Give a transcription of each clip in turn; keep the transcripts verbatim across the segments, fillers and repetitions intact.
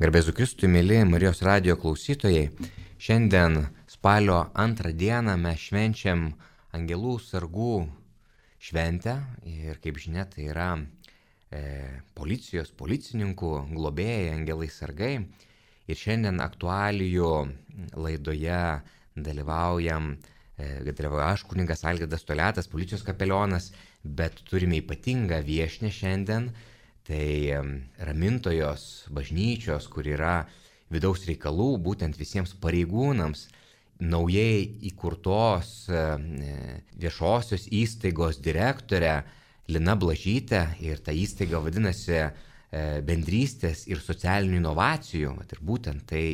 Garbėzu Kristui, mėly Marijos radijo klausytojai, šiandien spalio antrą dieną mes švenčiam Angelų sargų šventę ir kaip žinia, tai yra e, policijos, policininkų globėjai, angelai sargai. Ir šiandien aktualijų laidoje dalyvaujam, e, dalyvauja aš, kunigas Algirdas Toliatas, policijos kapelionas, bet turime ypatingą viešnią šiandien. Tai Ramintojos bažnyčios, kur yra vidaus reikalų, būtent visiems pareigūnams, naujai įkurtos viešosios įstaigos direktorė Lina Blažytė, ir ta įstaiga vadinasi bendrystės ir socialinių inovacijų. Ir būtent tai,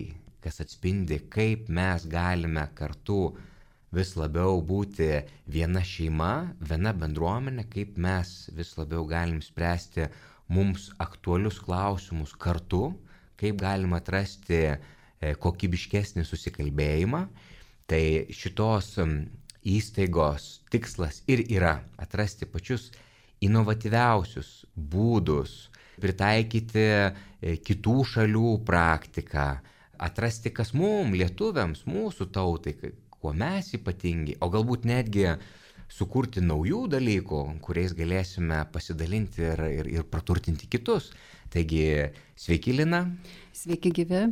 kas atspindi, kaip mes galime kartu vis labiau būti viena šeima, viena bendruomenė, kaip mes vis labiau galim spręsti mums aktualius klausimus kartu, kaip galima atrasti kokybiškesnį susikalbėjimą. Tai šitos įstaigos tikslas ir yra atrasti pačius inovatyviausius būdus, pritaikyti kitų šalių praktiką, atrasti, kas mums, lietuviams, mūsų tautai, kuo mes ypatingi, o galbūt netgi sukurti naujų dalykų, kuriais galėsime pasidalinti ir, ir, ir praturtinti kitus. Taigi, sveiki, Lina. Sveiki gyvi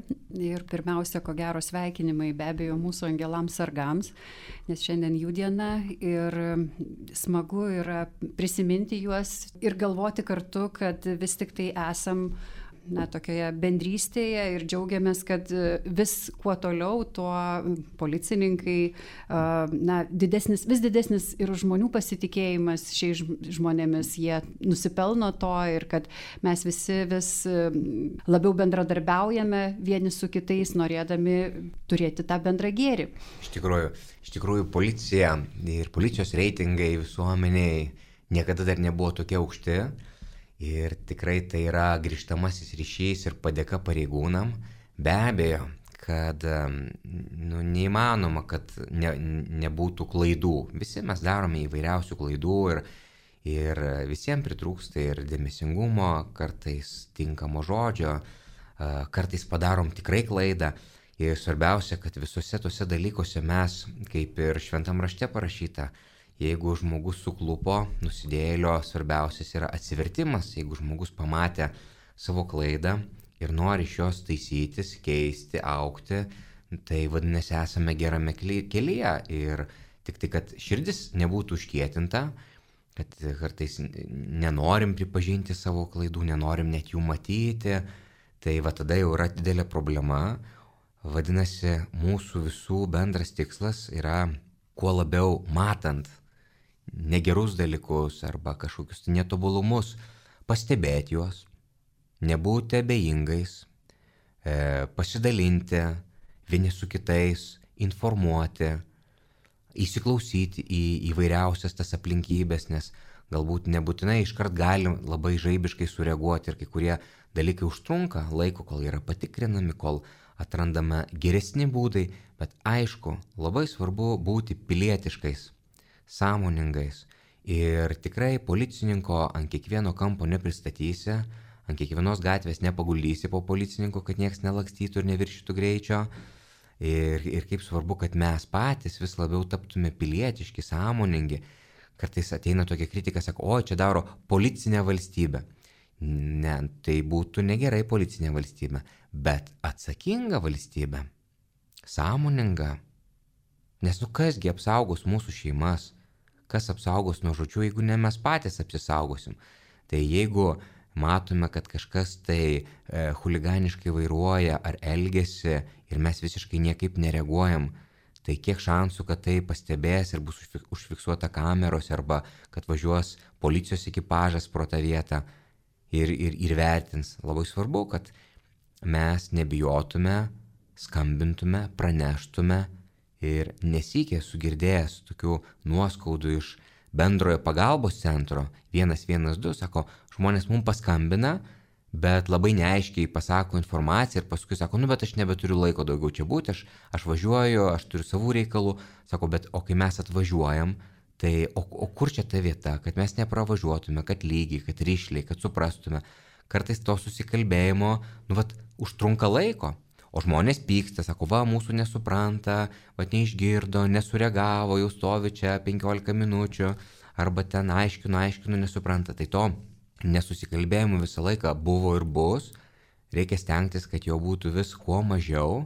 ir pirmiausia, ko gero sveikinimai be abejo mūsų angelams sargams, nes šiandien jų diena ir smagu yra prisiminti juos ir galvoti kartu, kad vis tik tai esam na, tokioje bendrystėje ir džiaugiamės, kad vis kuo toliau, tuo policininkai, na, didesnis, vis didesnis ir žmonių pasitikėjimas šiais žmonėmis, jie nusipelno to ir kad mes visi vis labiau bendradarbiaujame vieni su kitais, norėdami turėti tą bendrą gėrį. Iš tikrųjų, iš tikrųjų policija ir policijos reitingai visuomeniai niekada dar nebuvo tokie aukšti. Ir tikrai tai yra grįžtamasis ryšys ir padėka pareigūnam. Be abejo, kad nu, neįmanoma, kad ne, nebūtų klaidų. Visi mes darome įvairiausių klaidų ir, ir visiems pritrūksta ir dėmesingumo, kartais tinkamo žodžio, kartais padarom tikrai klaidą. Ir svarbiausia, kad visose tose dalykuose mes, kaip ir šventam rašte parašyta, jeigu žmogus suklupo, nusidėjėlio svarbiausias yra atsivertimas. Jeigu žmogus pamatė savo klaidą ir nori iš jos taisytis, keisti, augti, tai vadinasi esame gerame kelyje. Ir tik tai, kad širdis nebūtų užkietinta, kad kartais nenorim pripažinti savo klaidų, nenorim net jų matyti, tai va tada jau yra didelė problema. Vadinasi, mūsų visų bendras tikslas yra kuo labiau matant negerus dalykus arba kažkokius netobulumus, pastebėti juos, nebūti abejingais, e, pasidalinti vieni su kitais, informuoti, įsiklausyti į įvairiausias tas aplinkybės, nes galbūt nebūtinai iškart galim labai žaibiškai sureaguoti ir kai kurie dalykai užtrunka laiko, kol yra patikrinami, kol atrandame geresni būdai, bet aišku, labai svarbu būti pilietiškais, sąmoningais ir tikrai policininko ant kiekvieno kampo nepristatysi, ant kiekvienos gatvės nepaguldysi po policininko, kad nieks nelakstytų ir neviršytų greičio ir, ir kaip svarbu, kad mes patys vis labiau taptume pilietiški, sąmoningi. Kartais ateina tokia kritika, sako, o čia daro policinė valstybė. Ne, tai būtų negerai policinė valstybė, bet atsakinga valstybė, sąmoninga. Nes nu kasgi apsaugos mūsų šeimas, kas apsaugos nuo žodžių, jeigu ne mes patys apsisaugosim. Tai jeigu matome, kad kažkas tai e, chuliganiškai vairuoja ar elgiasi ir mes visiškai niekaip nereaguojam, tai kiek šansų, kad tai pastebės ir bus užfiksuota kameros arba kad važiuos policijos ekipažas pro tą vietą ir, ir, ir vertins. Labai svarbu, kad mes nebijotume, skambintume, praneštume. Ir nesykė sugirdėjęs tokių nuoskaudų iš bendrojo pagalbos centro vienas vienas du, sako, žmonės mums paskambina, bet labai neaiškiai pasako informaciją ir paskui sako, nu bet aš nebeturiu laiko daugiau čia būti, aš, aš važiuoju, aš turiu savų reikalų, sako, bet o kai mes atvažiuojam, tai o, o kur čia ta vieta, kad mes nepravažiuotume, kad lygiai, kad ryšliai, kad suprastume, kartais to susikalbėjimo, nu, vat, užtrunka laiko. O žmonės pyksta, sako, va, mūsų nesupranta, va, neišgirdo, nesureagavo, jau stovi čia penkiolika minučių, arba ten aiškinu, aiškinu, nesupranta. Tai to nesusikalbėjimų visą laiką buvo ir bus, reikia stengtis, kad jo būtų vis kuo mažiau.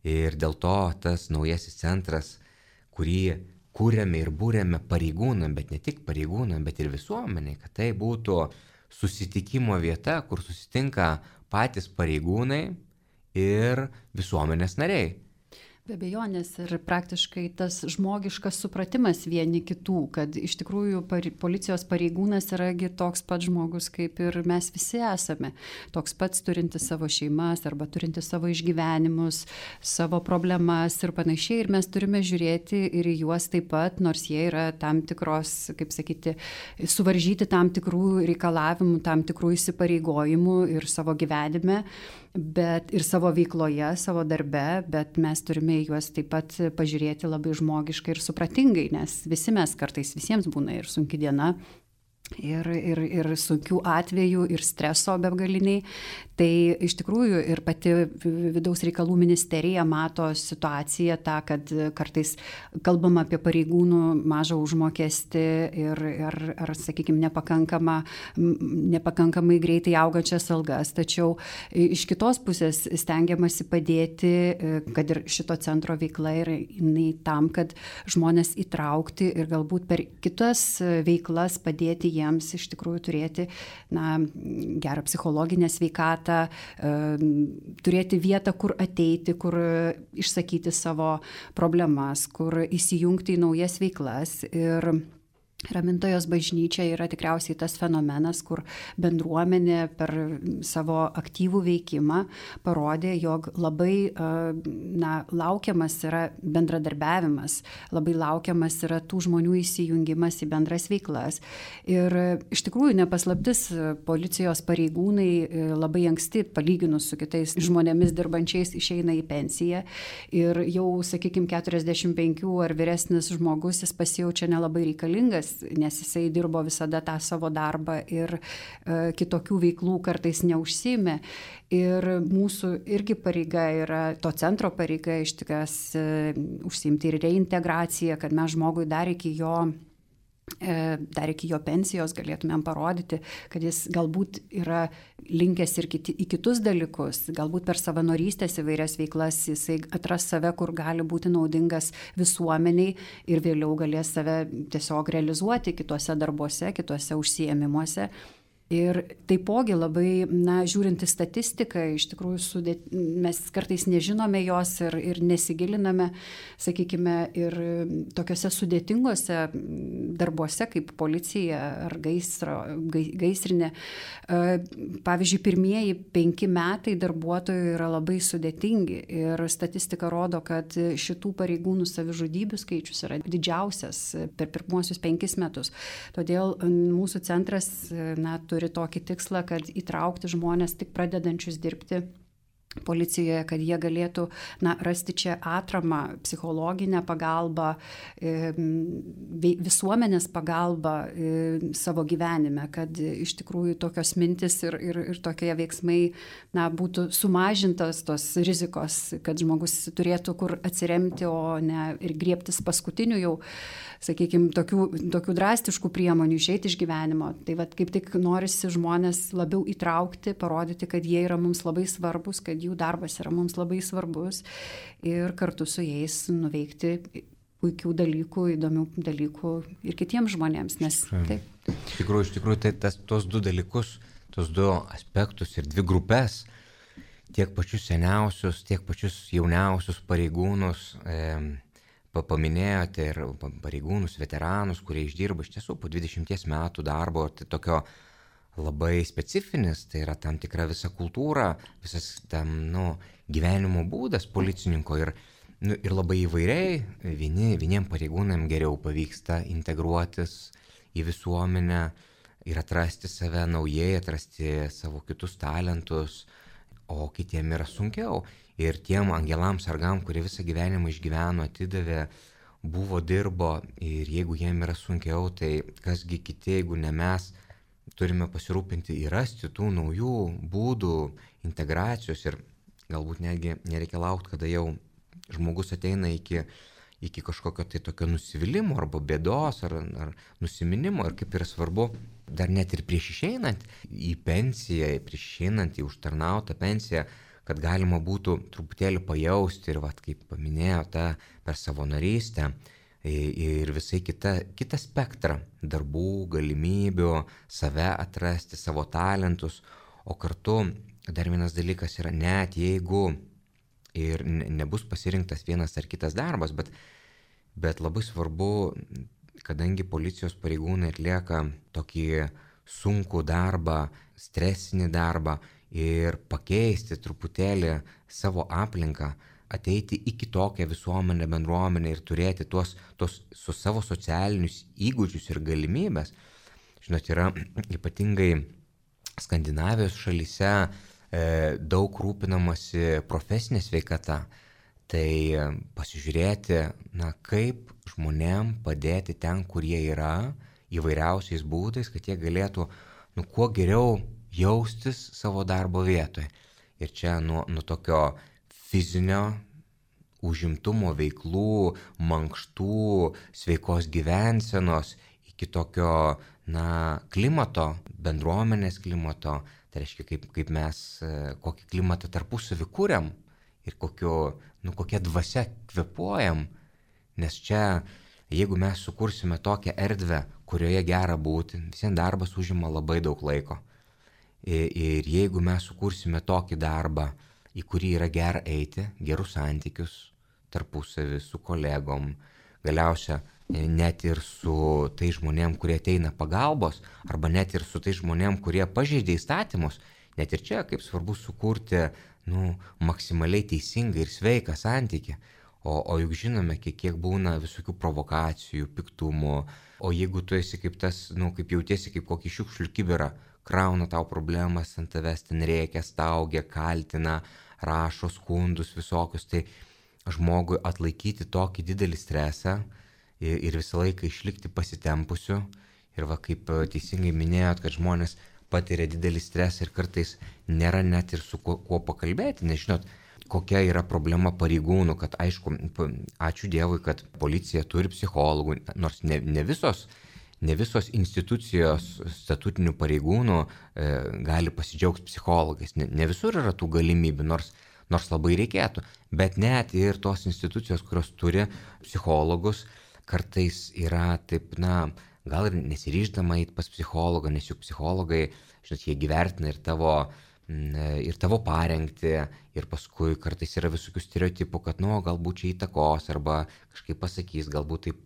Ir dėl to tas naujasis centras, kurį kūrėme ir būrėme pareigūnam, bet ne tik pareigūnam, bet ir visuomeniai, kad tai būtų susitikimo vieta, kur susitinka patys pareigūnai ir visuomenės nariai. Be abejonės ir praktiškai tas žmogiškas supratimas vieni kitų, kad iš tikrųjų pari, policijos pareigūnas yragi toks pats žmogus, kaip ir mes visi esame. Toks pats turintis savo šeimas arba turintis savo išgyvenimus, savo problemas ir panašiai. Ir mes turime žiūrėti ir į juos taip pat, nors jie yra tam tikros, kaip sakyti, suvaržyti tam tikrų reikalavimų, tam tikrų įsipareigojimų ir savo gyvenime, bet ir savo veikloje, savo darbe, bet mes turime juos taip pat pažiūrėti labai žmogiškai ir supratingai, nes visi mes kartais, visiems būna ir sunki diena, ir, ir, ir sunkių atvejų, ir streso begaliniai. Tai iš tikrųjų ir pati vidaus reikalų ministerija mato situaciją tą, kad kartais kalbama apie pareigūnų mažą užmokestį ir, ir ar, sakykime, nepakankamą, nepakankamai greitai augančias algas. Tačiau iš kitos pusės stengiamasi padėti, kad ir šito centro veikla yra tam, kad žmonės įtraukti ir galbūt per kitas veiklas padėti jiems iš tikrųjų turėti na, gerą psichologinę sveikatą, turėti vietą, kur ateiti, kur išsakyti savo problemas, kur įsijungti į naujas veiklas. Ir Ramintojos bažnyčia yra tikriausiai tas fenomenas, kur bendruomenė per savo aktyvų veikimą parodė, jog labai na, laukiamas yra bendradarbiavimas, labai laukiamas yra tų žmonių įsijungimas į bendras veiklas. Ir iš tikrųjų nepaslaptis, policijos pareigūnai labai anksti, palyginus su kitais žmonėmis dirbančiais, išeina į pensiją. Ir jau, sakykime, keturiasdešimt penkių ar vyresnis žmogus, jis pasijaučia nelabai reikalingas, nes jisai dirbo visada tą savo darbą ir e, kitokių veiklų kartais neužsiėmė. Ir mūsų irgi pareiga yra, to centro pareiga iš tikras e, užsiimti ir reintegraciją, kad mes žmogui dar iki jo dar iki jo pensijos galėtumėm parodyti, kad jis galbūt yra linkęs ir kiti, į kitus dalykus, galbūt per savanorystės įvairias veiklas jisai atras save, kur gali būti naudingas visuomeniai ir vėliau galės save tiesiog realizuoti kituose darbuose, kituose užsiėmimuose. Ir taipogi labai, na, žiūrint į statistiką, iš tikrųjų sudėt, mes kartais nežinome jos ir, ir nesigiliname, sakykime, ir tokiuose sudėtingose darbuose kaip policija ar gaisro, gaisrinė. Pavyzdžiui, pirmieji penki metai darbuotojų yra labai sudėtingi ir statistika rodo, kad šitų pareigūnų savižudybių skaičius yra didžiausias per pirmuosius penkis metus. Todėl mūsų centras, na, turi tokį tikslą, kad įtraukti žmonės tik pradedančius dirbti policijoje, kad jie galėtų na, rasti čia atramą, psichologinę pagalbą, visuomenės pagalbą savo gyvenime, kad iš tikrųjų tokios mintis ir, ir, ir tokie veiksmai na, būtų sumažintos tos rizikos, kad žmogus turėtų kur atsiremti, o ne ir griebtis paskutinių jau, sakykime, tokių, tokių drastiškų priemonių išeiti iš gyvenimo. Tai vat, kaip tik norisi žmonės labiau įtraukti, parodyti, kad jie yra mums labai svarbus, kad jų darbas yra mums labai svarbus ir kartu su jais nuveikti puikių dalykų, įdomių dalykų ir kitiems žmonėms. Nes, taip. Iš tikrųjų, iš tikrųjų tai tas, tos du dalykus, tos du aspektus ir dvi grupės, tiek pačius seniausius, tiek pačius jauniausius pareigūnus, e, paminėjote ir pareigūnus, veteranus, kurie išdirba iš tiesų po dvidešimties metų darbo, tai tokio labai specifinis, tai yra tam tikra visa kultūra, visas tam, nu, gyvenimo būdas policininko ir, nu, ir labai įvairiai, vieni, vieniem pareigūnam geriau pavyksta integruotis į visuomenę ir atrasti save naujai, atrasti savo kitus talentus, o kitiem yra sunkiau. Ir tiem angelams sargam, kurie visą gyvenimą išgyveno, atidavė, buvo, dirbo ir jeigu jiem yra sunkiau, tai kasgi kiti, jeigu ne mes, turime pasirūpinti ir rasti tų naujų būdų integracijos ir galbūt netgi nereikia laukti, kada jau žmogus ateina iki, iki kažkokio tai tokio nusivylimų arba bėdos ar, ar nusiminimo ir kaip yra svarbu dar net ir prieš išeinant į pensiją, prieš išeinant į užtarnautą pensiją, kad galima būtų truputėlį pajausti ir, vat, kaip paminėjo, tą per savanorystę ir visai kita, kitą spektrą darbų, galimybių, save atrasti, savo talentus, o kartu dar vienas dalykas yra, net jeigu ir nebus pasirinktas vienas ar kitas darbas, bet, bet labai svarbu, kadangi policijos pareigūnai atlieka tokį sunkų darbą, stresinį darbą ir pakeisti truputėlį savo aplinką, ateiti į kitokią visuomenę, bendruomenę ir turėti tuos, tuos su savo socialinius įgūdžius ir galimybės. Žinot, yra ypatingai Skandinavijos šalyse e, daug rūpinamasi profesinė sveikata. Tai pasižiūrėti, na, kaip žmonėm padėti ten, kur jie yra, įvairiausiais būdais, kad jie galėtų, nu, kuo geriau jaustis savo darbo vietoje. Ir čia nuo, nuo tokio fizinio užimtumo veiklų, mankštų, sveikos gyvensenos, iki tokio, na, klimato, bendruomenės klimato, tai reiškia, kaip, kaip mes, kokį klimatą tarpusavį kūriam ir kokio, nu, kokia dvasia kvėpuojam, nes čia, jeigu mes sukursime tokią erdvę, kurioje gera būti, visiems darbas užima labai daug laiko. Ir, ir jeigu mes sukursime tokį darbą, į kurį yra gera eiti, gerus santykius tarpusavį, su kolegom, galiausia net ir su tai žmonėm, kurie ateina pagalbos, arba net ir su tai žmonėm, kurie pažeidė įstatymus, net ir čia kaip svarbu sukurti, nu, maksimaliai teisingą ir sveiką santykį. O, o juk žinome, kiek, kiek būna visokių provokacijų, piktumų, o jeigu tu esi kaip tas, nu, kaip jautiesi kaip kokį šiukšlių kibirą, krauna tau problemas ant tavęs, ten rėkia, staugia, kaltina, rašo skundus visokius, tai žmogui atlaikyti tokį didelį stresą ir, ir visą laiką išlikti pasitempusiu. Ir va, kaip teisingai minėjot, kad žmonės patiria didelį stresą ir kartais nėra net ir su kuo, kuo pakalbėti, nes žinot, kokia yra problema pareigūnų, kad aišku, ačiū Dievui, kad policija turi psichologų, nors ne, ne visos Ne visos institucijos statutinių pareigūnų e, gali pasidžiaugti psichologais. Ne, ne visur yra tų galimybių, nors, nors labai reikėtų. Bet net ir tos institucijos, kurios turi psichologus, kartais yra taip, na, gal ir nesiryždama eiti pas psichologą, nes juk psichologai, žinot, jie gyvertina ir tavo, ir tavo parengti, ir paskui kartais yra visokių stereotipų, kad, nu, galbūt čia įtakos, arba kažkaip pasakys, galbūt taip,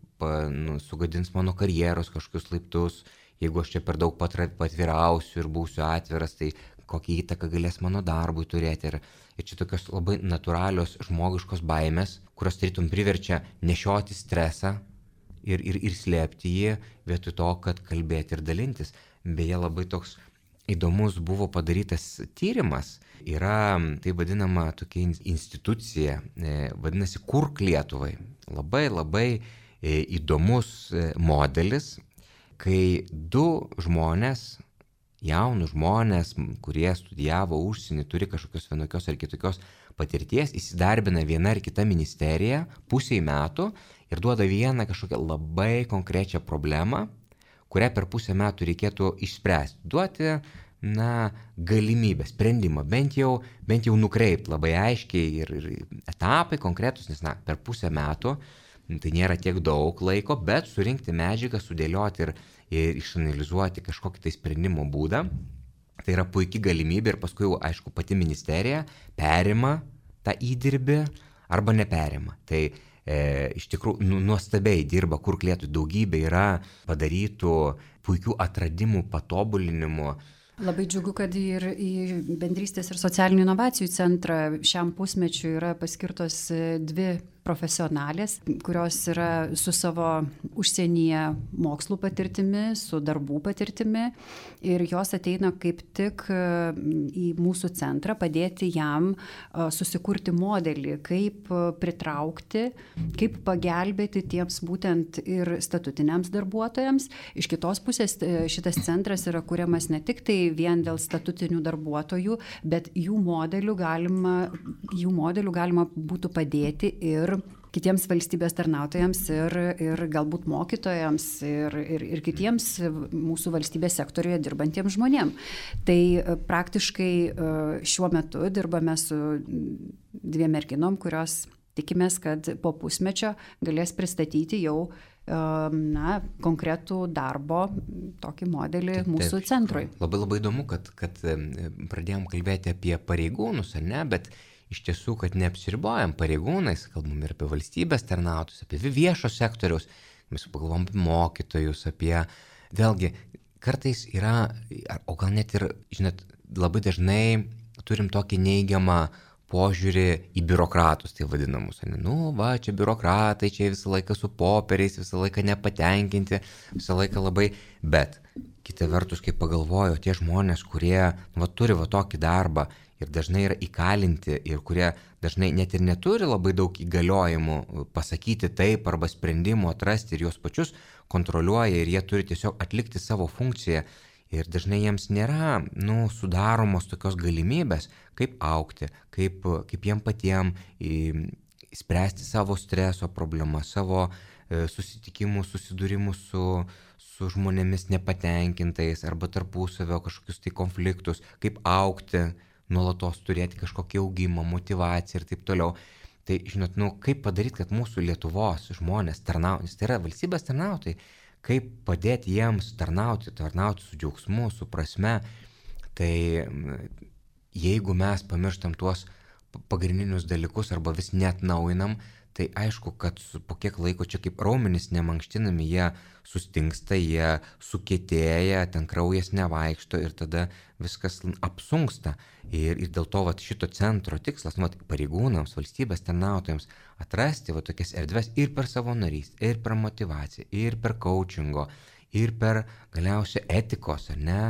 nu, sugadins mano karjeros kažkokius laiptus, jeigu aš čia per daug patvirausiu ir būsiu atviras, tai kokią įtaką galės mano darbui turėti. Ir, ir čia tokios labai natūralios žmogiškos baimės, kurios tarytum priverčia nešioti stresą ir, ir, ir slėpti jį, vietoj to, kad kalbėti ir dalintis. Beje, labai toks įdomus buvo padarytas tyrimas. Yra tai vadinama tokia institucija, vadinasi Kurk Lietuvai. Labai, labai įdomus modelis, kai du žmonės, jaunus žmonės, kurie studijavo užsienį, turi kažkokios vienokios ar kitokios patirties, įsidarbina viena ar kita ministerija pusiai metų ir duoda vieną kažkokią labai konkrečią problemą, kurią per pusę metų reikėtų išspręsti. Duoti, na, galimybę, sprendimą, bent jau, bent jau nukreipti labai aiškiai ir, ir etapai konkretus, nes, na, per pusę metų tai nėra tiek daug laiko, bet surinkti medžiagą, sudėlioti ir, ir išanalizuoti kažkokį tai sprendimo būdą. Tai yra puikia galimybė ir paskui, aišku, pati ministerija perima tą įdirbį arba neperima. Tai e, iš tikrųjų nu, nuostabiai dirba Kurk Lietuvai, daugybė yra padarytų puikių atradimų, patobulinimų. Labai džiugu, kad ir į Bendrystės ir socialinių inovacijų centrą šiam pusmečiui yra paskirtos dvi profesionalės, kurios yra su savo užsienyje mokslų patirtimi, su darbų patirtimi ir jos ateina kaip tik į mūsų centrą padėti jam susikurti modelį, kaip pritraukti, kaip pagelbėti tiems būtent ir statutiniams darbuotojams. Iš kitos pusės šitas centras yra kuriamas ne tik tai vien dėl statutinių darbuotojų, bet jų modelių galima, jų modelių galima būtų padėti ir kitiems valstybės tarnautojams ir, ir galbūt mokytojams ir, ir, ir kitiems mūsų valstybės sektorijoje dirbantiems žmonėms. Tai praktiškai šiuo metu dirbame su dviem merginom, kurios tikimės, kad po pusmečio galės pristatyti jau na, konkretų darbo tokį modelį taip, mūsų taip, centrui. Labai labai įdomu, kad, kad pradėjom kalbėti apie pareigūnus, ar ne, bet iš tiesų, kad neapsiribojam pareigūnais, kalbam ir apie valstybės tarnautojus, apie viešo sektoriaus, mes pagalvom apie mokytojus, apie, vėlgi, kartais yra, o gal net ir, žinot, labai dažnai turim tokį neigiamą požiūrį į biurokratus, tai vadinamus. Nu, va, čia biurokratai, čia visą laiką su popieriais, visą laiką nepatenkinti, visą laiką labai, bet kita vertus, kai pagalvoju, tie žmonės, kurie va, turi va tokį darbą ir dažnai yra įkalinti ir kurie dažnai net ir neturi labai daug įgaliojimų pasakyti taip arba sprendimų atrasti ir juos pačius kontroliuoja ir jie turi tiesiog atlikti savo funkciją. Ir dažnai jiems nėra nu, sudaromos tokios galimybės, kaip augti, kaip, kaip jiem patiem spręsti savo streso problemas, savo e, susitikimus, susidūrimus su, su žmonėmis nepatenkintais arba tarpusavio kažkokius tai konfliktus, kaip augti, nuolatos turėti kažkokį augimą, motyvaciją ir taip toliau. Tai, žinot, nu, kaip padaryti, kad mūsų Lietuvos žmonės tarnautis, tai yra valstybės tarnautojai, kaip padėti jiems tarnauti, tarnauti su džiaugsmu, su prasme, tai jeigu mes pamirštam tuos pagrindinius dalykus arba vis neatnaujinam, tai aišku, kad po kiek laiko čia kaip raumenys nemankštinami, jie sustingsta, jie sukietėja, ten kraujas nevaikšto ir tada viskas apsunksta. Ir, ir dėl to vat, šito centro tikslas, vat, pareigūnams, valstybės tarnautojams atrasti vat, tokias erdves ir per savanorystę, ir per motyvaciją, ir per coachingo, ir per galiausiai etikos, ar ne,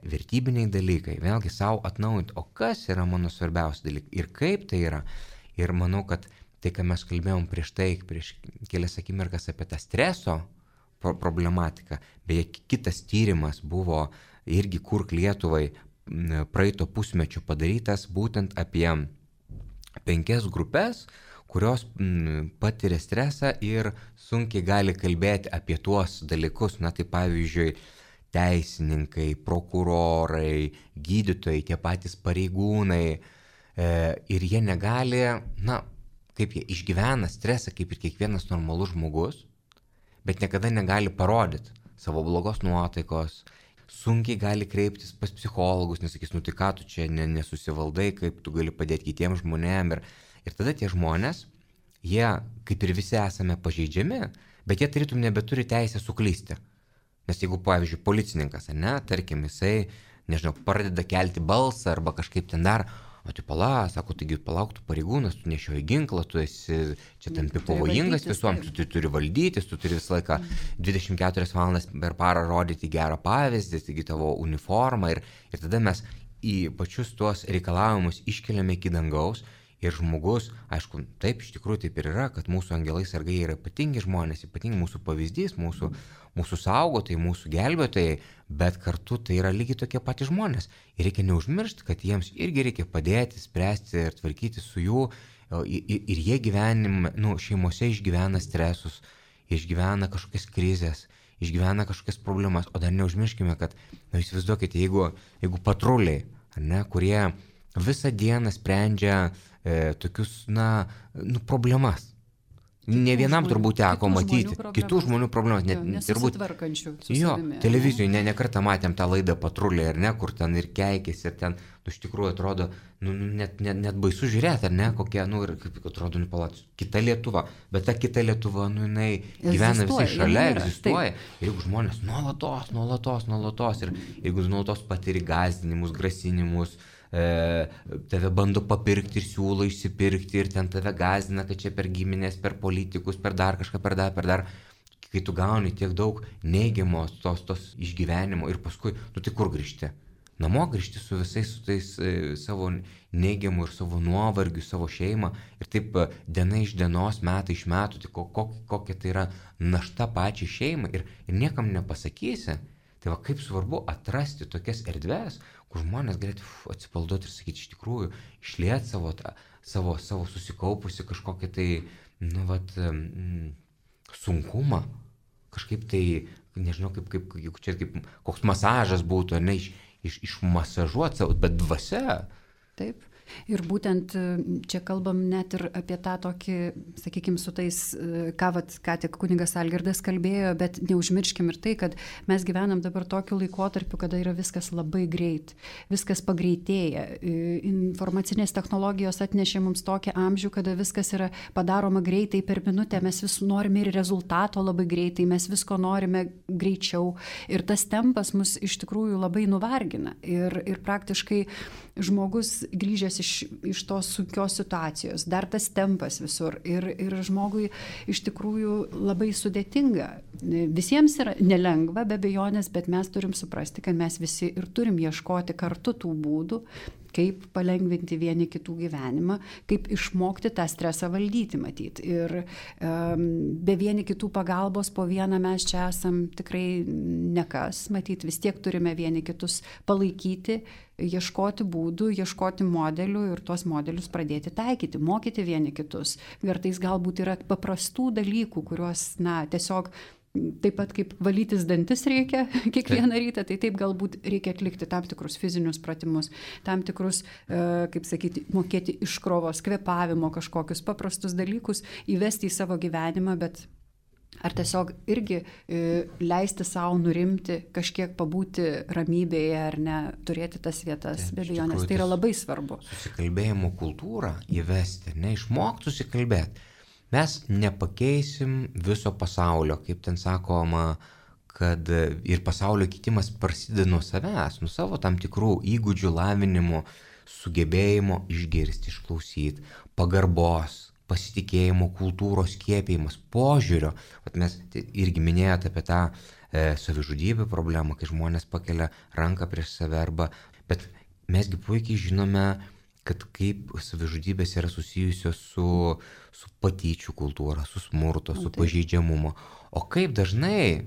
vertybiniai dalykai, vėlgi savo atnaujinti, o kas yra mano svarbiausi dalykai ir kaip tai yra. Ir manau, kad tai, ką mes kalbėjom prieš tai, prieš kelias akimirkas apie tą streso problematiką, beje, kitas tyrimas buvo irgi Kurk Lietuvai praeito pusmečio padarytas būtent apie penkias grupės, kurios patiria stresą ir sunkiai gali kalbėti apie tuos dalykus, na tai pavyzdžiui, teisininkai, prokurorai, gydytojai, tie patys pareigūnai e, ir jie negali, na, kaip jie išgyvena stresą, kaip ir kiekvienas normalus žmogus, bet niekada negali parodyti savo blogos nuotaikos, sunkiai gali kreiptis pas psichologus, nesakys, nu tai ką tu čia nesusivaldai, kaip tu gali padėti kitiems žmonėms. Ir, ir tada tie žmonės, jie kaip ir visi esame pažeidžiami, bet jie tarytum nebeturi teisę suklysti. Nes jeigu, pavyzdžiui, policininkas, ne, tarkim, jisai, nežinau, pradeda kelti balsą arba kažkaip ten dar, o tai pala, sako, taigi palauk, tu pareigūnas, tu nešioji ginklą, tu esi čia tampi pavojingas visuom, tu, tu turi valdytis, tu turi visą laiką dvidešimt keturias valandas per parą rodyti gerą pavyzdį, taigi tavo uniformą ir, ir tada mes į pačius tuos reikalavimus iškeliame iki dangaus ir žmogus, aišku, taip iš tikrųjų taip ir yra, kad mūsų angelai sargai yra ypatingi žmonės, ypatingi mūsų pavyzdys, mūsų, mūsų saugotojai, mūsų gelbėtojai, bet kartu tai yra lygiai tokie patys žmonės. Ir reikia neužmiršti, kad jiems irgi reikia padėti, spręsti ir tvarkyti su jų, ir, ir jie gyvenime, nu, šeimose išgyvena stresus, išgyvena kažkokias krizės, išgyvena kažkokias problemas, o dar neužmirškime, kad, na, įsivaizduokite, jeigu, jeigu patruliai, ar ne, kurie visą dieną sprendžia e, tokius, na, nu, problemas. Ne vienam žmonių, turbūt teko matyti žmonių kitų žmonių problemas. Jo, nesusitvarkančių su jo, savimi. Televizijoje ne, ne kartą matėm tą laidą Patruliai, ar ne, kur ten ir keikėsi, ir ten, nu, iš tikrųjų atrodo, nu, net, net, net baisu žiūrėti, ar ne, kokia, nu, ir kaip atrodo, nu, palat, kita Lietuva, bet ta kita Lietuva, nu, jinai gyvena visai šalia, yra, egzistuoja. Taip. Ir jeigu žmonės nuolatos, nuolatos, nuolatos, ir jeigu nuolatos patiri gąsdinimus, grasinimus, e, tave bando papirkti ir siūlo išsipirkti ir ten tave gąsdina, kad čia per giminės, per politikus, per dar kažką, per dar, per dar. Kai tu gauni tiek daug neigiamos tos, tos išgyvenimo ir paskui, tu tai kur grįžti? Namo grįžti su visais su tais e, savo neigiamu ir savo nuovargiu, savo šeimą ir taip e, diena iš dienos, metai iš metų, tai ko, ko, kokia tai yra našta pačiai šeimai ir, ir niekam nepasakysi. Tai va kaip svarbu atrasti tokias erdves, kur žmonės galėtų atsipalduoti ir sakyti iš tikrųjų, išlieti savo, savo, savo susikaupusi kažkokią tai, nu vat, mm, sunkumą, kažkaip tai, nežinau, kaip, kaip, kaip čia kaip koks masažas būtų, ar ne, iš, iš, išmasažuoti savo, bet dvasia. Taip. Ir būtent čia kalbam net ir apie tą tokį, sakykime, su tais, ką, vat, ką tik kunigas Algirdas kalbėjo, bet neužmirškim ir tai, kad mes gyvenam dabar tokiu laikotarpiu, kada yra viskas labai greit, viskas pagreitėja. Informacinės technologijos atnešė mums tokį amžių, kada viskas yra padaroma greitai per minutę, mes vis norime ir rezultato labai greitai, mes visko norime greičiau ir tas tempas mus iš tikrųjų labai nuvargina. Ir, ir praktiškai žmogus grįžęs iš, iš tos sunkios situacijos, dar tas tempas visur ir, ir žmogui iš tikrųjų labai sudėtinga. Visiems yra nelengva, be abejonės, bet mes turim suprasti, kad mes visi ir turim ieškoti kartu tų būdų, kaip palengvinti vieni kitų gyvenimą, kaip išmokti tą stresą valdyti, matyt. Ir um, be vieni kitų pagalbos po vieną mes čia esam tikrai nekas, matyt, vis tiek turime vieni kitus palaikyti, ieškoti būdų, ieškoti modelių ir tuos modelius pradėti taikyti, mokyti vieni kitus. Kartais galbūt yra paprastų dalykų, kuriuos, na, tiesiog taip pat kaip valytis dantis reikia kiekvieną rytą, tai taip galbūt reikia atlikti tam tikrus fizinius pratimus, tam tikrus, kaip sakyti, mokėti iškrovos, kvėpavimo kažkokius paprastus dalykus, įvesti į savo gyvenimą, bet ar tiesiog irgi leisti savo nurimti, kažkiek pabūti ramybėje ar ne, turėti tas vietas, be abejonės, tai yra labai svarbu. Susikalbėjimo kultūrą įvesti, neišmokti susikalbėti. Mes nepakeisim viso pasaulio, kaip ten sakoma, kad ir pasaulio keitimas prasideda nuo savęs, nuo savo tam tikrų įgūdžių lavinimo, sugebėjimo išgirsti, išklausyti, pagarbos, pasitikėjimo, kultūros skiepėjimas, požiūrio. Vat mes irgi minėjote apie tą e, savižudybių problemą, kai žmonės pakelia ranką prieš save arba, bet mesgi puikiai žinome, kad kaip savižudybės yra susijusios su, su patyčių kultūra, su smurto, su pažeidžiamumo. O kaip dažnai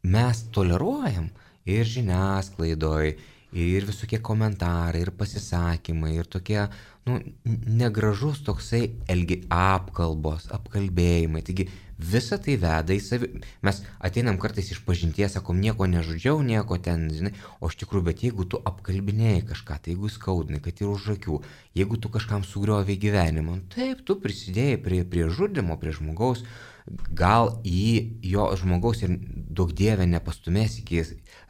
mes toleruojam ir žiniasklaidoj, ir visokie komentarai, ir pasisakymai, ir tokie, nu, negražus toksai elgi apkalbos, apkalbėjimai. Taigi visa tai veda į savi... Mes ateinam kartais iš pažinties, sakom, nieko nežudžiau, nieko ten, žinai, o iš tikrųjų, bet jeigu tu apkalbinėjai kažką, tai jeigu skaudinai, kad ir už akių, jeigu tu kažkam sugriovei gyvenimą, taip, tu prisidėjai prie, prie žudimo, prie žmogaus, gal į jo žmogaus ir daug dievę nepastumės iki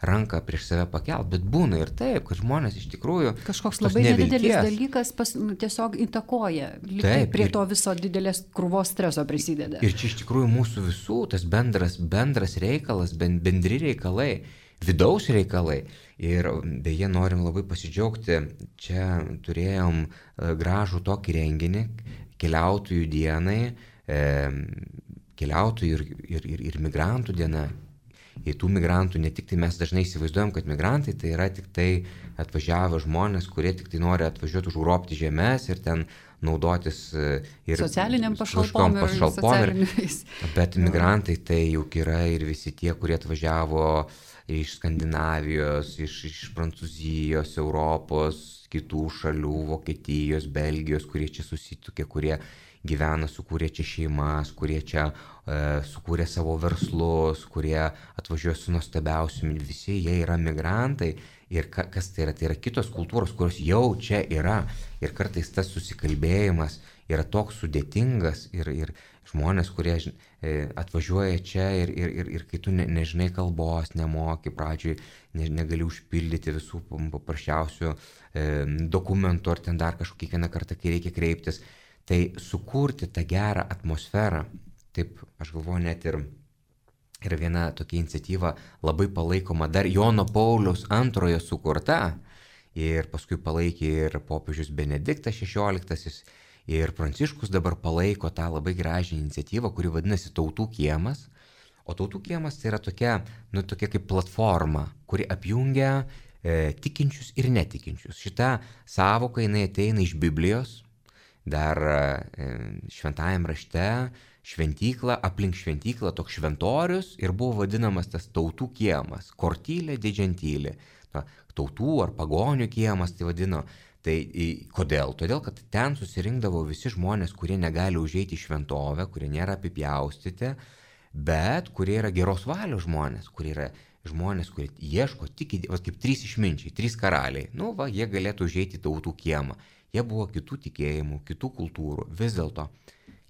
ranką prieš save pakelt, bet būna ir taip, kad žmonės iš tikrųjų kažkoks labai nedidelis dalykas pas, nu, tiesiog įtakoja, taip, prie ir, to viso didelės krūvos streso prisideda. Ir čia iš tikrųjų mūsų visų tas bendras, bendras reikalas, bendri reikalai, vidaus reikalai. Ir beje, norim labai pasidžiaugti, čia turėjom gražų tokį renginį, keliautojų dienai, e, keliautojų ir, ir, ir, ir migrantų diena. Ir tų migrantų ne tik tai mes dažnai įsivaizduojam, kad migrantai tai yra tik tai atvažiavę žmonės, kurie tik tai nori atvažiuoti užgrobti žemės ir ten naudotis ir socialiniam pašalpom, pašalpom ir, bet migrantai tai juk yra ir visi tie, kurie atvažiavo iš Skandinavijos, iš, iš Prancūzijos, Europos, kitų šalių, Vokietijos, Belgijos, kurie čia susitukė, kurie gyvena, sukūrė čia šeimas, kurie čia e, sukūrė savo verslus, kurie atvažiuoja su nuostabiausiumi, visi jie yra migrantai. Ir ka, kas tai yra? Tai yra kitos kultūros, kurios jau čia yra. Ir kartais tas susikalbėjimas yra toks sudėtingas ir, ir žmonės, kurie e, atvažiuoja čia ir, ir, ir, ir kai tu ne, nežinai kalbos, nemoki pradžioj, ne, negali užpildyti visų paprasčiausių e, dokumentų ar ten dar kažkokį kiekvieną kartą, kai reikia kreiptis. Tai sukurti tą gerą atmosferą, taip aš galvoju net ir yra viena tokia iniciatyva labai palaikoma, dar Jono Pauliaus antrojo sukurta ir paskui palaikė ir popiežius Benediktas šešioliktasis, ir Pranciškus dabar palaiko tą labai gražią iniciatyvą, kuri vadinasi Tautų kiemas. O Tautų kiemas tai yra tokia, nu, tokia kaip platforma, kuri apjungia e, tikinčius ir netikinčius. Šita sąvoka jinai ateina iš Biblijos, dar e, šventajam rašte, šventykla, aplink šventyklą toks šventorius ir buvo vadinamas tas Tautų kiemas, kortylė didžiantylė. Na, tautų ar pagonių kiemas tai vadino. Tai kodėl? Todėl, kad ten susirinkdavo visi žmonės, kurie negali užeiti į šventovę, kurie nėra apipjaustyti, bet kurie yra geros valios žmonės, kurie yra žmonės, kurie ieško tik, va, kaip trys išminčiai, trys karaliai. Nu, va, jie galėtų užeiti į Tautų kiemą. Jie buvo kitų tikėjimų, kitų kultūrų. Vis dėlto,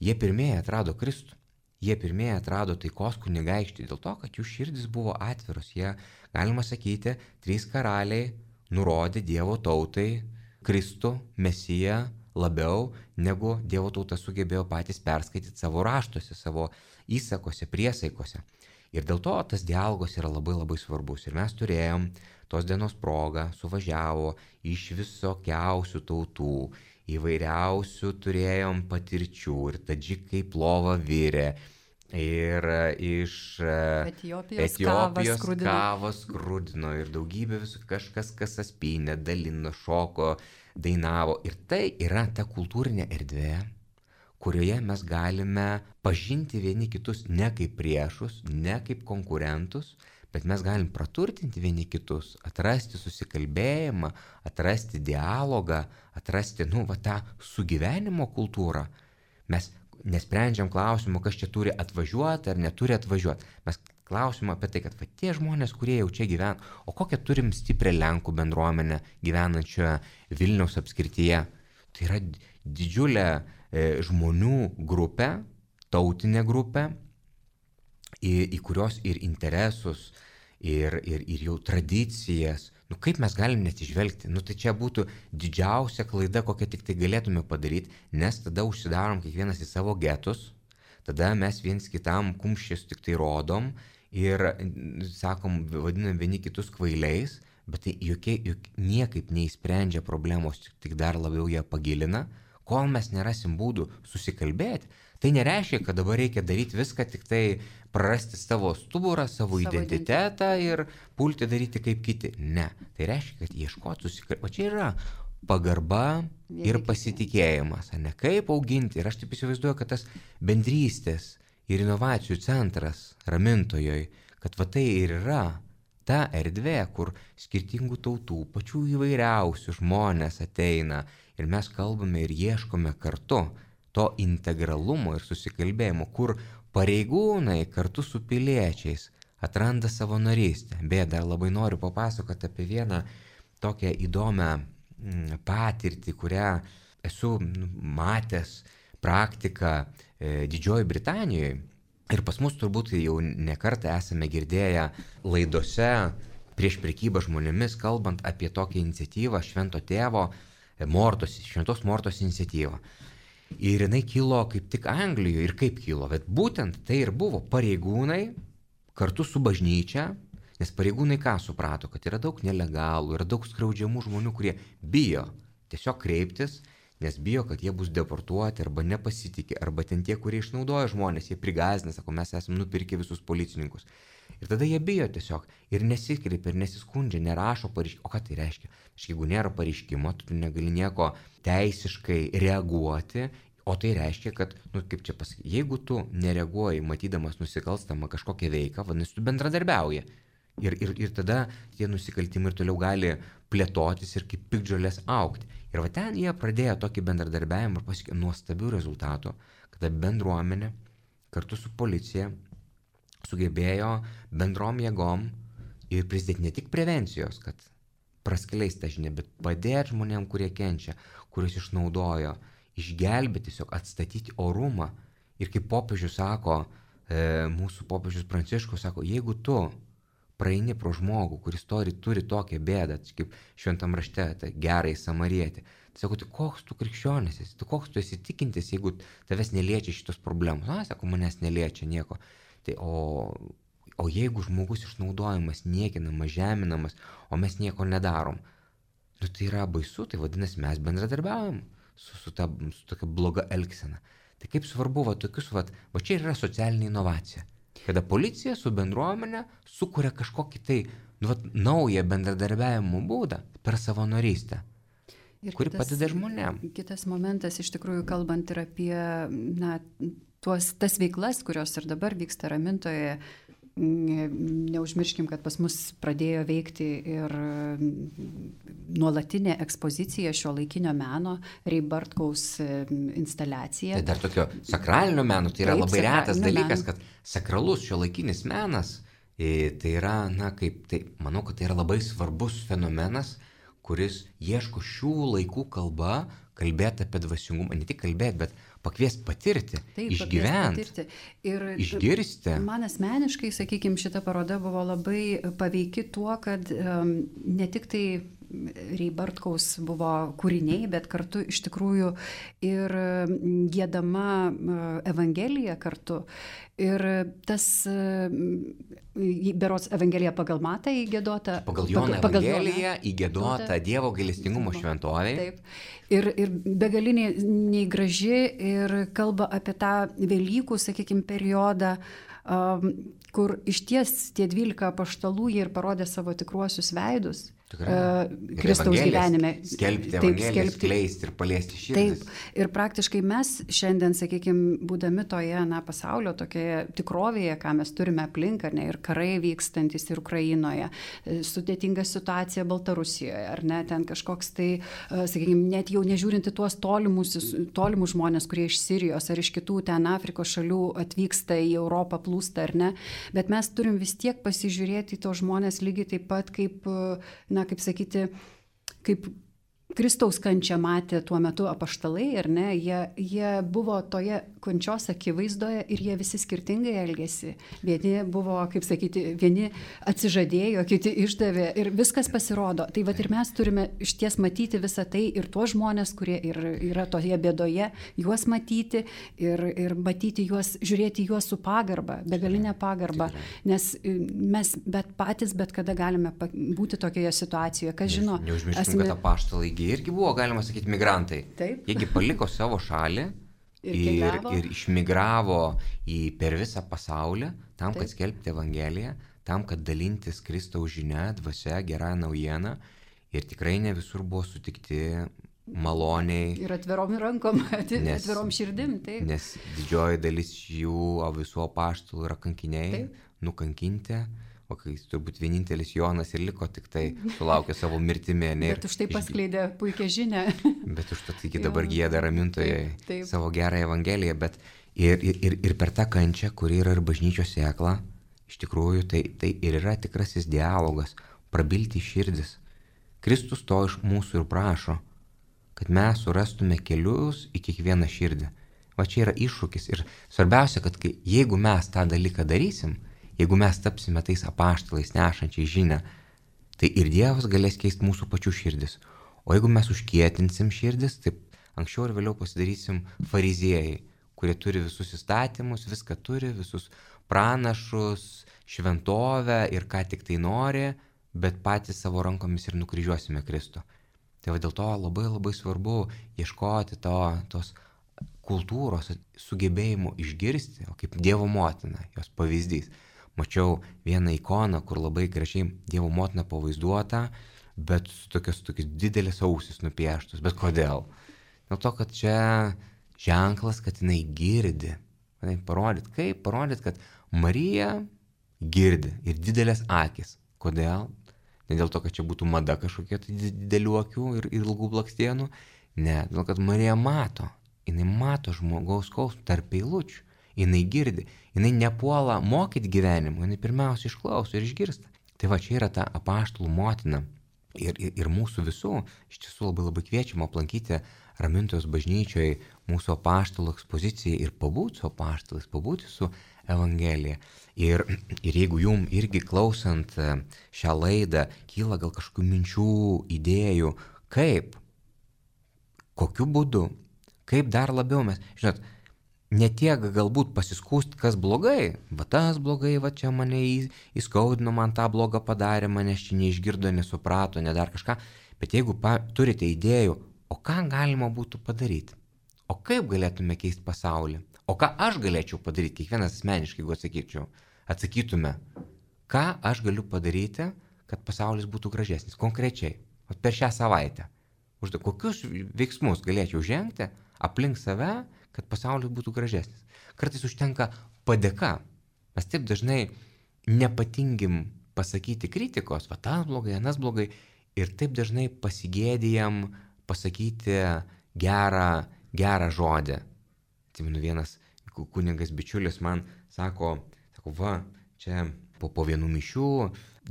jie pirmieji atrado Kristų. Jie pirmieji atrado taikos kunigaikštį dėl to, kad jų širdis buvo atviros. Jie, galima sakyti, trys karaliai nurodė Dievo tautai Kristų, Mesiją labiau, negu Dievo tauta sugebėjo patys perskaityti savo raštuose, savo įsakose, priesaikose. Ir dėl to tas dialogas yra labai labai svarbus. Ir mes turėjom tos dienos progą, suvažiavo iš visokiausių tautų, įvairiausių turėjom patirčių, ir tadžikai plovą virė, ir iš Etiopijos, Etiopijos kavą kavos skrudino, ir daugybė visų, kažkas kasas pynė, dalino, šoko, dainavo. Ir tai yra ta kultūrinė erdvė, kurioje mes galime pažinti vieni kitus ne kaip priešus, ne kaip konkurentus, bet mes galim praturtinti vieni kitus, atrasti susikalbėjimą, atrasti dialogą, atrasti, nu, va, tą sugyvenimo kultūrą. Mes nesprendžiam klausimų, kas čia turi atvažiuoti ar neturi atvažiuoti. Mes klausim apie tai, kad va, tie žmonės, kurie jau čia gyvena, o kokią turim stiprią Lenkų bendruomenę gyvenančią Vilniaus apskrityje. Tai yra didžiulė e, žmonių grupė, tautinė grupė, į, į kurios ir interesus, ir, ir, ir jau tradicijas, nu kaip mes galim nesižvelgti, nu tai čia būtų didžiausia klaida, kokią tik tai galėtume padaryti, nes tada užsidarom kiekvienas į savo getus, tada mes viens kitam kumščius tik tai rodom ir sakom, vadinam vieni kitus kvailiais, bet tai jokie, juk niekaip neįsprendžia problemos, tik dar labiau ją pagilina, kol mes nerasim būdų susikalbėti. Tai nereiškia, kad dabar reikia daryti viską, tik tai prarasti savo stuburą, savo, savo identitetą ir pulti daryti kaip kiti. Ne, tai reiškia, kad ieškoti susikalbėti. O čia yra pagarba ir pasitikėjimas, ne kaip auginti. Ir aš taip įsivaizduoju, kad tas bendrystės ir inovacijų centras Ramintojoj, kad va tai ir yra ta erdvė, kur skirtingų tautų, pačių įvairiausių žmonės ateina ir mes kalbame ir ieškome kartu to integralumo ir susikalbėjimo, kur pareigūnai kartu su piliečiais atranda savanorystę. Beje, dar labai noriu papasakoti apie vieną tokią įdomią patirtį, kurią esu matęs praktiką e, Didžiojoje Britanijoje. Ir pas mus turbūt jau ne kartą esame girdėję laidose prieš prekybą žmonėmis, kalbant apie tokią iniciatyvą Švento tėvo Mortos, Šventos Mortos iniciatyvą. Ir jinai kilo kaip tik Anglijoje. Ir kaip kilo? Bet būtent tai ir buvo pareigūnai kartu su bažnyčia, nes pareigūnai ką suprato, kad yra daug nelegalų, yra daug skriaudžiamų žmonių, kurie bijo tiesiog kreiptis, nes bijo, kad jie bus deportuoti arba nepasitikė, arba ten tie, kurie išnaudoja žmonės, jie prigąsdina, sako, mes esame nupirkę visus policininkus. Ir tada jie bijo tiesiog ir nesikreipia, ir nesiskundžia, nerašo pareiškimo. O ką tai reiškia? Jeigu nėra pareiškimo, tu negali nieko teisiškai reaguoti, o tai reiškia, kad, nu kaip čia pasakyti, jeigu tu nereaguoji, matydamas nusikalstamą kažkokią veiką, vadinasi, tu bendradarbiauji. Ir, ir, ir tada tie nusikaltimai ir toliau gali plėtotis ir kaip piktžolės augti. Ir va ten jie pradėjo tokį bendradarbiavimą ir pasiekė nuostabių rezultatų, kada bendruomenė kartu su policija sugebėjo bendrom jėgom ir prisidėti ne tik prevencijos, kad praskleis tą žinią, bet padėti žmonėm, kurie kenčia, kuriuos išnaudojo, išgelbėti, tiesiog atstatyti orumą. Ir kaip popiežius sako, e, mūsų popiežius Pranciškus sako, jeigu tu praeini pro žmogų, kuris turi, turi tokią bėdą, kaip šventam rašte, tai gerai samarietį, tai sako, tai koks tu krikščionis esi, tu koks tu esi tikintis, jeigu tavęs neliečia šitos problemos. Na, sako, manęs neliečia nieko. Tai o, o jeigu žmogus išnaudojamas, niekinamas, žeminamas, o mes nieko nedarom, Nu, tai yra baisu, tai vadinasi, mes bendradarbiaujam su, su, ta, su tokia bloga elgsena. Tai kaip svarbu, va, tokius, va, va čia yra socialinė inovacija. Kada policija su bendruomenė sukuria kažkokį tai nu, va, naują bendradarbiavimo būdą per savanorystę, ir kuri kitas, padeda žmonėm. Kitas momentas, iš tikrųjų, kalbant ir apie na, tuos, tas veiklas, kurios ir dabar vyksta Ramintoje. Neužmirškim, kad pas mus pradėjo veikti ir nuolatinė ekspozicija šio laikinio meno, Ray Bartkaus instaliacija. Tai dar tokio sakralinio meno, tai yra Taip, labai retas dalykas, meno. kad sakralus šio laikinis menas, tai yra, na, kaip, tai, manau, kad tai yra labai svarbus fenomenas, kuris ieško šių laikų kalba, kalbėti apie dvasingumą, ne tik kalbėti, bet pakviesti patirti, Taip, išgyventi, ir išgirsti. Man asmeniškai, sakykime, šita paroda buvo labai paveiki tuo, kad um, ne tik tai Ray Bartkaus buvo kūriniai, bet kartu iš tikrųjų ir giedama Evangelija kartu. Ir tas, berods Evangelija pagal Matą įgiedota. Pagal Joną Evangeliją įgiedota Dievo gailestingumo šventovė. Taip. Ir, ir begaliniai nei graži ir kalba apie tą Velykų, sakykime, periodą, um, kur išties tie dvylika apaštalų jie ir parodė savo tikruosius veidus. Uh, Kristaus gyvenime. Skelbti Evangeliją, skleisti ir paliesti širdis. Taip. Ir praktiškai mes šiandien, sakykime, būdami toje na, pasaulio tokioje tikrovėje, ką mes turime aplink, ar ne, ir karai vykstantis ir Ukrainoje, sudėtinga situacija Baltarusijoje, ar ne, ten kažkoks tai, sakykime, net jau nežiūrinti tuos tolimus, tolimus žmonės, kurie iš Sirijos ar iš kitų ten Afrikos šalių atvyksta į Europą, plūsta, ar ne, bet mes turim vis tiek pasižiūrėti į tos žmonės lygiai taip pat kaip, na, kaip sakyti, kaip Kristaus kančią matė tuo metu apaštalai, ar ne, jie, jie buvo toje kančios akivaizdoje ir jie visi skirtingai elgėsi. Vieni buvo, kaip sakyti, vieni atsižadėjo, kiti išdavė ir viskas pasirodo. Tai vat ir mes turime išties matyti visą tai ir tuos žmonės, kurie ir, yra toje bėdoje, juos matyti ir, ir matyti juos, žiūrėti juos su pagarba, begalinė pagarba, nes mes bet patys bet kada galime būti tokioje situacijoje. Kas žino? Neužmirškim, esame... kad apaštalai irgi buvo, galima sakyti, migrantai. Taip. Jiegi paliko savo šalį ir, ir, ir išmigravo į per visą pasaulį tam, kad Taip. Skelbti Evangeliją, tam, kad dalintis Kristaus žinia, dvasia, gerą naujieną. Ir tikrai ne visur buvo sutikti maloniai. Ir atvirom rankom, nes, atvirom širdim. Taip. Nes didžioji dalis jų, o visų apaštalų yra kankiniai, Taip. Nukankinti. O kai turbūt vienintelis Jonas ir liko tik tai sulaukė savo mirtimi. Ne, bet už tai paskleidė puikią žinią. Bet už tai iki dabar gieda Ramintoje savo gerą Evangeliją. Bet ir, ir, ir per tą kančią, kuri yra ir bažnyčios sėkla, iš tikrųjų tai, tai ir yra tikrasis dialogas, prabilti širdis. Kristus to iš mūsų ir prašo, kad mes surastume kelius į kiekvieną širdį. Va čia yra iššūkis. Ir svarbiausia, kad kai, jeigu mes tą dalyką darysim, jeigu mes tapsime tais apaštalais nešančiai žinią, tai ir Dievas galės keisti mūsų pačių širdis. O jeigu mes užkietinsim širdis, tai anksčiau ir vėliau pasidarysim fariziejai, kurie turi visus įstatymus, viską turi, visus pranašus, šventovę ir ką tik tai nori, bet patys savo rankomis ir nukryžiuosime Kristų. Tai va dėl to labai labai svarbu ieškoti to, tos kultūros, sugebėjimo išgirsti, o kaip Dievo motina, jos pavyzdys. Mačiau vieną ikoną, kur labai gražiai Dievo motina pavaizduota, bet su tokios, tokios didelės ausis nupieštos. Bet kodėl? Dėl to, kad čia ženklas, kad jinai girdi. Parodyt, kaip? Parodyt, kad Marija girdi ir didelės akis. Kodėl? Ne dėl to, kad čia būtų mada kažkokia tai didelių akių ir ilgų blakstienų. Ne, dėl to, kad Marija mato. Jinai mato žmogaus skausmą tarp eilučių. Jinai girdi, jinai nepuola mokyti gyvenimo, jinai pirmiausia išklauso ir išgirsta. Tai va čia yra ta apaštalų motina ir, ir, ir mūsų visų, iš tiesų labai labai kviečiama aplankyti Ramintojos bažnyčioje mūsų apaštalų ekspoziciją ir pabūti su apaštalais, pabūti su Evangelija. Ir, ir jeigu jum irgi klausant šią laidą kyla gal kažkokių minčių, idėjų, kaip, kokiu būdu, kaip dar labiau mes, žinot, ne tiek galbūt pasiskūsti, kas blogai, va tas blogai, va čia mane įskaudino, man tą blogą padarė, manęs čia neišgirdo, nesuprato, ne dar kažką, Bet jeigu pa, turite idėjų, o ką galima būtų padaryti, o kaip galėtume keisti pasaulį, o ką aš galėčiau padaryti, kiekvienas asmeniškai, jeigu atsakyčiau, atsakytume, ką aš galiu padaryti, kad pasaulis būtų gražesnis, konkrečiai, per šią savaitę. Užda, kokius veiksmus galėčiau žengti aplink save, kad pasaulis būtų gražesnis. Kartais užtenka padėka. Mes taip dažnai nepatingim pasakyti kritikos, va tas blogai, anas blogai, ir taip dažnai pasigėdijam pasakyti gerą, gerą žodį. Atsimenu, vienas kunigas bičiulis man sako, sako, va, čia po, po vienų mišių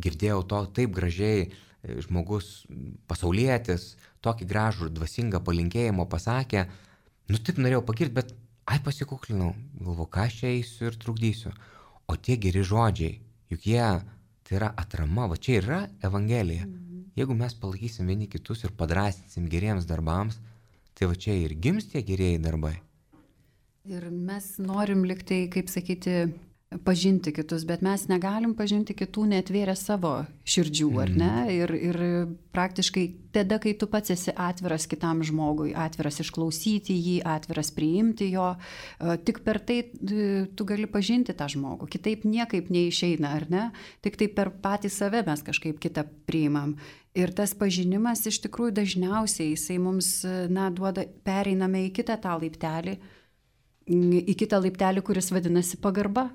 girdėjau to taip gražiai, žmogus pasaulietis, tokį gražų ir dvasingą palinkėjimo pasakė, nu taip norėjau pagirti, bet ai pasikuklinau, galvo, ką aš čia eisiu ir trukdysiu. O tie geri žodžiai, juk jie, tai yra atrama, va čia yra Evangelija. Mhm. Jeigu mes palaikysim vieni kitus ir padrasinsim geriems darbams, tai va čia ir gims tie gerieji darbai. Ir mes norim liktai, kaip sakyti, pažinti kitus, bet mes negalim pažinti kitų neatvėrę savo širdžių, ar ne? Ir, ir praktiškai tada, kai tu pats esi atviras kitam žmogui, atviras išklausyti jį, atviras priimti jo, tik per tai tu gali pažinti tą žmogų. Kitaip niekaip neišeina, ar ne? Tik tai per patį save mes kažkaip kitą priimam. Ir tas pažinimas iš tikrųjų dažniausiai jisai mums, na, duoda, pereiname į kitą tą laiptelį, į kitą laiptelį, kuris vadinasi pagarba.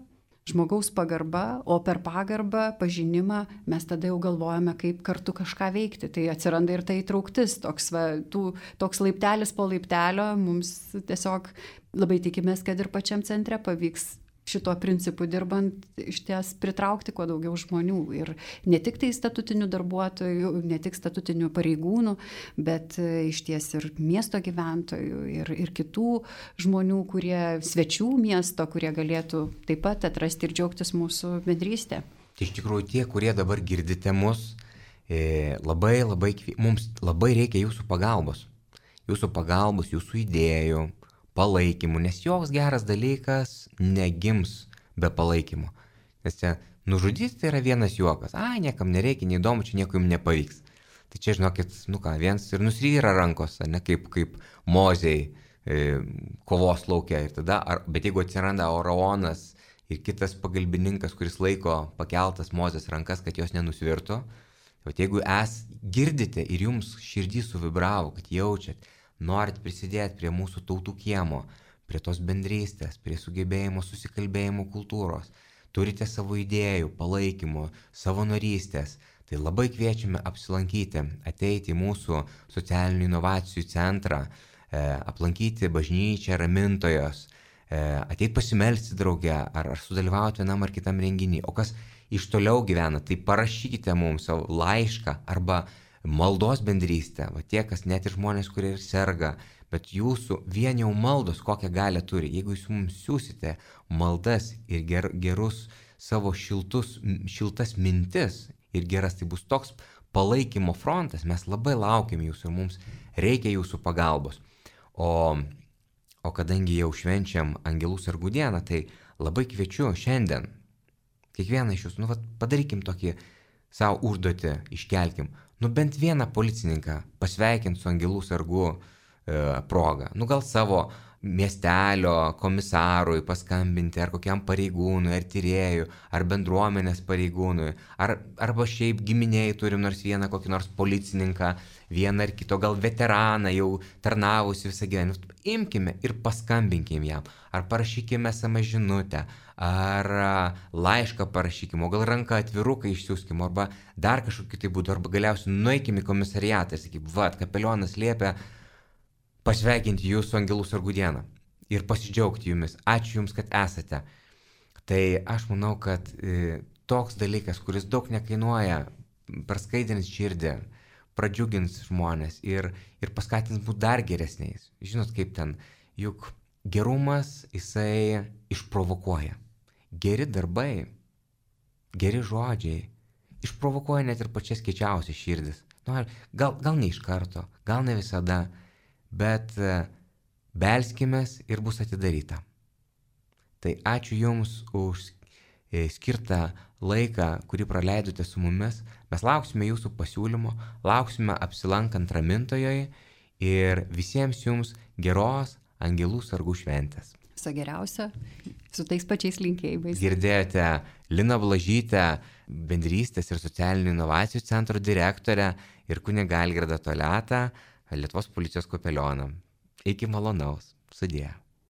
Žmogaus pagarba, o per pagarbą, pažinimą mes tada jau galvojame, kaip kartu kažką veikti. Tai atsiranda ir ta įtrauktis, toks, va, tų, toks laiptelis po laiptelio, mums tiesiog labai tikimės, kad ir pačiam centre pavyks šituo principu dirbant išties pritraukti kuo daugiau žmonių. Ir ne tik tai statutinių darbuotojų, ne tik statutinių pareigūnų, bet išties ir miesto gyventojų ir, ir kitų žmonių, kurie svečių miesto, kurie galėtų taip pat atrasti ir džiaugtis mūsų bendrystę. Tai iš tikrųjų tie, kurie dabar girdite mus, labai, labai, mums labai reikia jūsų pagalbos. Jūsų pagalbos, jūsų idėjų, palaikymų, nes joks geras dalykas negims be palaikymo. Nes čia nužudyti tai yra vienas juokas. Ai, niekam nereikia, neįdomu, čia nieko jums nepavyks. Tai čia, žinokit, nu ką, viens ir nusvyra rankos, ne kaip, kaip Mozei e, kovos laukia. Ir tada, ar, bet jeigu atsiranda Oraonas ir kitas pagalbininkas, kuris laiko pakeltas Mozės rankas, kad jos nenusvirtų, tai jeigu es girdite ir jums širdį suvibravo, kad jaučiat, norit prisidėti prie mūsų tautų kiemo, prie tos bendrystės, prie sugebėjimo susikalbėjimo kultūros, turite savo idėjų, palaikymo, savanorystės, tai labai kviečiame apsilankyti, ateiti į mūsų socialinių inovacijų centrą, e, aplankyti bažnyčią Ramintojos, e, ateiti pasimelsti drauge ar, ar sudalyvauti vienam ar kitam renginį. O kas iš toliau gyvena, tai parašykite mums savo laišką arba maldos bendrystę, va tie, kas net ir žmonės, kurie ir serga, bet jūsų vien jau maldos kokią galią turi. Jeigu jūs mums siūsite maldas ir ger, gerus savo šiltus, šiltas mintis ir geras, tai bus toks palaikymo frontas, mes labai laukiam jūsų ir mums reikia jūsų pagalbos. O, o kadangi jau švenčiam Angelų sargų dieną, tai labai kviečiu šiandien, kiekvieną iš jūsų, nu, va, padarykim tokį savo užduotį, iškelkim, nu bent vieną policininką pasveikinti su Angelų sargų e, proga. Nu gal savo miestelio komisarui paskambinti, ar kokiam pareigūnui, ar tyrėjui, ar bendruomenės pareigūnui, ar, arba šiaip giminiai turim nors vieną kokį nors policininką, vieną ar kito, gal veteraną jau tarnavusi visą gyvenimą. Imkime ir paskambinkime jam, ar parašykime esamą žinutę, ar laišką parašykime, o gal ranką atviruką išsiųskime, arba dar kažkokį tai būdų, arba galiausiai nueikime į komisariatą ir sakykime, va, kapelionas liepia pasveikinti jūsų Angelų sargų dieną ir pasidžiaugti jumis. Ačiū jums, kad esate. Tai aš manau, kad e, toks dalykas, kuris daug nekainuoja, praskaidrins širdį, pradžiugins žmonės ir, ir paskatins būti dar geresniais. Žinot, kaip ten, juk gerumas jisai išprovokuoja. Geri darbai, geri žodžiai išprovokuoja net ir pačias kiečiausias širdis. Nu, gal, gal ne iš karto, gal ne visada, bet belskimės ir bus atidaryta. Tai ačiū Jums už skirtą laiką, kurį praleidote su mumis. Mes lauksime jūsų pasiūlymo, lauksime apsilankant ramintojoje ir visiems jums geros Angelų sargų šventės. Viso geriausio, su tais pačiais linkėjimais. Girdėjote Liną Blažytę, bendrystės ir socialinių inovacijų centro direktorę ir kunigą Algirdą Toliatą, Lietuvos policijos kapelioną. Iki malonaus. Sudie.